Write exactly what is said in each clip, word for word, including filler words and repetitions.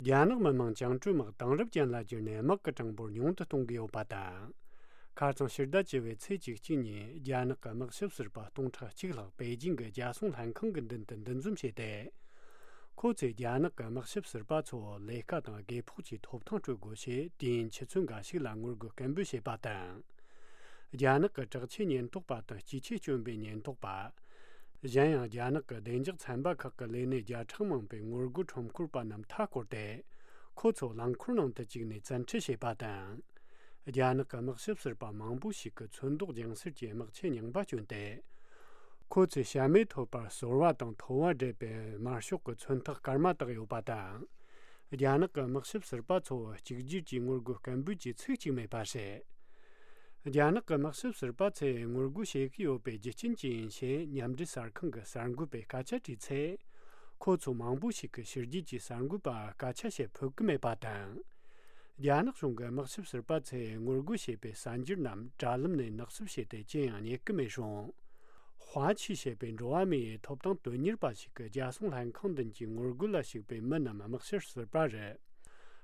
རྒྱ་ནག་མི་དམངས་བཅིངས་འགྲོལ་དམག་དེང་རབས་ཅན་ལ་བསྒྱུར་ནས་དམག་གི་གྲངས་འབོར་ཉུང་དུ་གཏོང་གི་ཡོད་པ་དང་། ཁ་རྩང་ཕྱི་ཟླ་བཅུ་པའི་ཚེས་བཅུ་གཅིག་ཉིན་རྒྱ་ནག་གི་དམག་ཞབས་ཟུར་པ་སྟོང་ཕྲག་གཅིག་ལྷག་པེ་ཅིང་གི་རྒྱལ་སྲུང་ལྷན་ཁང་གི་མདུན་དུ་འདུ་འཛོམས་བྱས་ཏེ། ཁོ་ཚོས་རྒྱ་ནག་གི་དམག་ཞབས་ཟུར་པ་ཚོར་ལས་ཀ་དང་དགོས་ཕོགས་ཀྱི་ཐོབ་ཐང་སྤྲོད་དགོས་ཞེས་དུས་ཡུན་ཆུ་ཚོད་འགའ་ཞིག་ལ་ངོ་རྒོལ་སྐད་འབོད་བྱས་པ་དང་། རྒྱ་ནག་གི་དྲག་ཆས་ཉེན་རྟོག་པ་དང་སྐྱེས་ཆས་སྐྱོན་པའི་ཉེན་རྟོག་པ། གཞན་ཡང་རྒྱ་ནག་གི་བདེ་འཇགས་ཚན་པ་ཁག་གི་ལས་སྣེ་བརྒྱ་ཕྲག་མང་པོས་ངོ་རྒོལ་ཁྲོམ་སྐོར་པ་རྣམས་མཐའ་བསྐོར་ཏེ། ཁོ་ཚོ་རླངས་འཁོར་ནང་དུ་བཅུག་ནས་བཙན་ཁྲིད་བྱས་པ་དང་། རྒྱ་ནག་གི་དམག་ཞབས་ཟུར་པ་མང་པོ་ཞིག་གིས་ཚོན་མདོག་ལྗང་སེར་གྱི་དམག་ཆས་རྙིང་པ་གྱོན་ཏེ། ཁོ་ཚོས་བྱ་མེད་ཐོད་པར་སོལ་བ་དང་ཐོ་བ་འདྲེས་པའི་དམར་ཤོག་གི་ཚོན་ཐག་དཀར་དམར་བཏགས་ཡོད་པ་དང་། རྒྱ་ནག་གི་དམག་ཞབས་ཟུར་པ་ཚོ་གཅིག་གྱུར་གྱིས་ངོ་རྒོལ་སྐད་འབོད་ཀྱི་ཚིག་གཅིག་མེད་པ་བྱས། རྒྱ་ནག་གི་དམག་ཞབས་ཟུར་པ་ཚོས་ངོ་རྒོལ་བྱེད་ཀྱི་ཡོད་པའི་རྒྱུ་རྐྱེན་ཅི་ཡིན་ཕྱིར་མཉམ་འབྲེལ་གསར་ཁང་གི་གསར་འགོད་པས་སྐད་ཆ་དྲིས་ཚེ། ཁོ་ཚོ་མང་པོ་ཞིག་གིས་ཕྱི་རྒྱལ་གྱི་གསར་འགོད་པ་སྐད་ཆ་བཤད་ཕོད་ཀྱི་མེད་པ་དང་། རྒྱ་ནག་གཞུང་གི་དམག་ཞབས་ཟུར་པ་ཚོས་ངོ་རྒོལ་བྱས་པའི་གསར་འགྱུར་རྣམས་དྲ་ལམ་ནས་ནག་བསུབ་བྱས་ཏེ་ཅི་ཡང་རྙེད་ཀྱི་མེད་རུང་། ཧྭ་ཆི་ཞེས་པའི་འགྲོ་བ་མིའི་ཐོབ་ཐང་དོན་གཉེར་པ་ཞིག་གིས་རྒྱལ་སྲུང་ལྷན་ཁང་མདུན་གྱི་ངོ་རྒོལ་ལ་ཞུགས་པའི་མི་རྣམས་དམག་ཞབས་ཟུར་པ་རེད།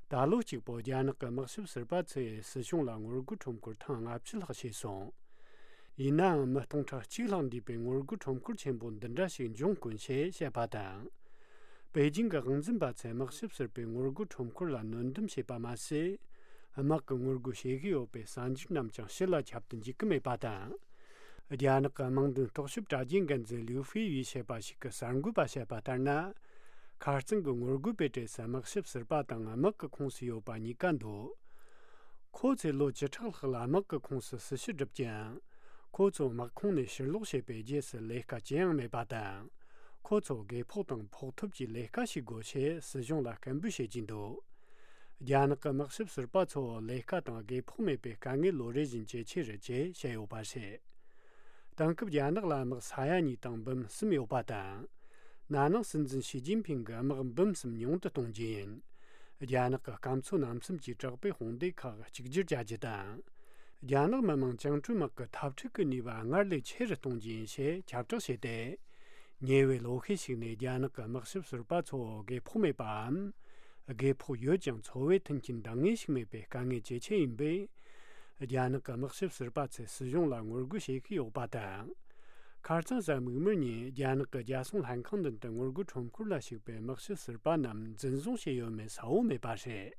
ད་ལོ་གཅིག་པོ་རྒྱ་ནག་གི་དམག་ཞབས་ཟུར་པ་ཚོས་སྲིད་གཞུང་ལ་ངོ་རྒོལ་ཁྲོམ་སྐོར་ཐེངས་ལྔ་བཅུ་ལྷག་བྱས་སོང་། ཡིན་ནའང་མི་སྟོང་ཕྲག་གཅིག་ལྷག་འདུས་པའི་ངོ་རྒོལ་ཁྲོམ་སྐོར་ཆེན་པོ་འདི་འདྲ་ཞིག་འབྱུང་དཀོན་ཞེས་བཤད་པ་དང་། པེ་ཅིང་གི་དབང་འཛིན་པ་ཚོས་དམག་ཞབས་ཟུར་པའི་ངོ་རྒོལ་ཁྲོམ་སྐོར་ལ་གནོན་སྡོམ་བྱས་པ་མ་ཟད། དམག་གི་ངོ་རྒོལ་བྱེད་ཀྱི་ཡོད་པའི་གསར་འགྱུར་རྣམས་ཀྱང་ཕྱི་ལ་ཁྱབ་ཏུ་འཇུག་གི་མེད་པ་དང་། རྒྱ་ནག་གི་དམངས་དོན་རྟོག་ཞིབ་དྲ་རྒྱའི་འགན་འཛིན་ལིའུ་ཧྥེ་ཡིས་བཤད་པ་ཞིག་གིས་གསར་འགོད་པ་བཤད་པ་ལྟར་ན། ཁ་རྩང་གི་ངོ་རྒོལ་པའི་གྲས་སུ་དམག་ཞབས་ཟུར་པ་དང་དམག་གི་ཁོངས་སུ་ཡོད་པ་གཉིས་ཀ་འདུ། ཁོ་ཚོས་ལོ་བཅུ་ཕྲག་ལྷག་ལ་དམག་གི་ཁོངས་སུ་སྲི་ཞུ་བསྒྲུབས་ཀྱང་། ཁོ་ཚོ་དམག་ཁོངས་ནས་ཕྱིར་ལོག་བྱས་པའི་རྗེས་སུ་ལས་ཀ་ཅི་ཡང་མེད་པ་དང་། ཁོ་ཚོ་དགོས་ཕོགས་དང་ཕོགས་ཐོབ་ཀྱི་ལས་ཀ་བྱེད་དགོས་ཞེས་སྲིད་གཞུང་ལ་སྐད་འབོད་བྱེད་ཀྱིན་འདུག་རྒྱ་ནག་གི་དམག་ཞབས་ཟུར་པ་ཚོ་ལས་ཀ་དང་དགོས་ཕོགས་མེད་པའི་དཀའ་ངལ་ལོ་རེ་བཞིན་ཇེ་ཆེ་རུ་ཇེ་བཤད་ཡོད་པ་རེད། དེང་སྐབས་རྒྱ་ནག་ལ་དམག་ས་ཡ་གཉིས་དང་འབུམ་གསུམ་ཡོད་པ་དང་། ན་ནིང་སྲིད་འཛིན་ཞི་ཅིན་ཕིང་གིས་དམག་འབུམ་གསུམ་ཉུང་དུ་གཏོང་རྒྱུ་ཡིན། རྒྱ་ནག་གི་སྐམ་མཚོ་རྣམ་གསུམ་གྱི་དྲག་པོའི་དཔུང་སྡེ་ཁག་གཅིག་གྱུར་བྱ་རྒྱུ་དང་། རྒྱ་ནག་མི་དམངས་བཅིངས་འགྲོལ་དམག་གི་འཐབ་འཁྲུག་གི་ནུས་པ་སྔར་ལས་ཆེ་རུ་གཏོང་རྒྱུ་ཡིན་ཞེས་ཁྱབ་བསྒྲགས་བྱས་ཏེ། ཉེ་བའི་ལོ་ཤས་ཤིག་ནས་རྒྱ་ནག་གི་དམག་ཞབས་ཟུར་པ་ཚོ་དགོས་ཕོགས་མེད་པའམ། དགོས་ཕོགས་ཡོད་ཀྱང་འཚོ་བའི་མཐུན་རྐྱེན་འདང་ངེས་ཤིག་མེད་པའི་དཀའ་ངལ་ཇེ་ཆེ་ཡིན་པས། རྒྱ་ནག་གི་དམག་ཞབས་ཟུར་པ་ཚོས་སྲིད་གཞུང་ལ་ངོ་རྒོལ་བྱེད་ཀྱི་ཡོད་པ་དང་། ཁ་རྩང་གཟའ་མིག་དམར་ཉིན་རྒྱ་ནག་གི་རྒྱལ་སྲུང་ལྷན་ཁང་མདུན་དུ་ངོ་རྒོལ་ཁྲོམ་སྐོར་ལ་ཞུགས་པའི་དམག་ཞབས་ཟུར་པ་རྣམས་འཛིན་བཟུང་བྱས་ཡོད་མེད་གསལ་བོ་མེད་པ་རེད།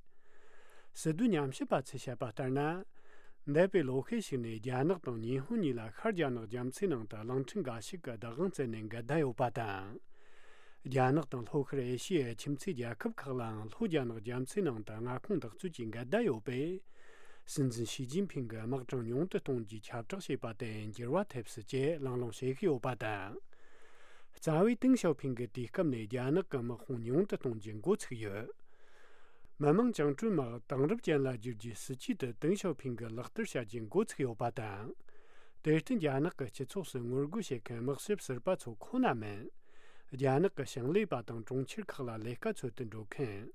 སྲིད་དོན་ཉམས་ཞིབ་པ་ཚོས་བཤད་པ་ལྟར་ན། འདས་པའི་ལོ་ཤས་ཤིག་ནས་རྒྱ་ནག་དང་ཉི་ཧོང་གཉིས་ལ་ཤར་རྒྱ་ནག་རྒྱ་མཚོའི་ནང་དུ་གླིང་ཕྲན་འགའ་ཞིག་གི་བདག་དབང་བཙལ་ནས་འགལ་ཟླ་ཡོད་པ་དང་། རྒྱ་ནག་དང་ལྷོ་ཤར་ཨེ་ཤི་ཡའི་ཁྱིམ་མཚེས་རྒྱལ་ཁབ་ཁག་ལའང་ལྷོ་རྒྱ་ནག་རྒྱ་མཚོའི་ནང་དུ་མངའ་ཁོངས་བདག་རྩོད་ཀྱི་འགལ་ཟླ་ཡོད་པས། སྲིད་འཛིན་ཞི་ཅིན་ཕིང་གིས་དམག་གྲངས་ཉུང་དུ་གཏོང་རྒྱུའི་ཁྱབ་བསྒྲགས་བྱས་པ་དེ་འགྱུར་བ་ཐེབས་སྲིད་ཅེས་གླེང་སློང་བྱེད་ཀྱི་ཡོད་པ་དང་། རྩ་བའི་ཏེང་ཞའོ་ཕིང་གིས་དུས་སྐབས་ནས་རྒྱ་ནག་གི་དམག་དཔུང་ཉུང་དུ་གཏོང་རྒྱུ་འགོ་ཚུགས་ཡོད། མི་དམངས་བཅིངས་འགྲོལ་དམག་དེང་རབས་ཅན་ལ་བསྒྱུར་རྒྱུའི་སྲིད་ཇུས་དེ་ཏེང་ཞའོ་ཕིང་གིས་ལག་བསྟར་བྱ་རྒྱུ་འགོ་ཚུགས་ཡོད་པ་དང་། དེར་བརྟེན་རྒྱ་ནག་གི་སྤྱི་ཚོགས་སུ་ངོ་རྒོལ་བྱེད་མཁན་དམག་ཞབས་ཟུར་པ་ཚོ་ཁོ་ན་མིན། རྒྱ་ནག་གི་ཞིང་ལས་པ་དང་གྲོང་ཁྱེར་ཁག་ལ་ལས་ཀ་འཚོལ་དུ་འགྲོ་མཁན།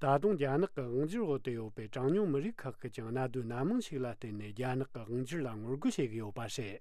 ད་དུང་རྒྱ་ནག་གི་དབང་སྒྱུར་འོག་ཏུ་ཡོད་པའི་གྲངས་ཉུང་མི་རིགས་ཁག་གིས་ཀྱང་གནད་དོན་སྣ་མང་ཞིག་ལ་བརྟེན་ནས་རྒྱ་ནག་གི་དབང་སྒྱུར་ལ་ངོ་རྒོལ་བྱེད་ཀྱི་ཡོད་པ་རེད།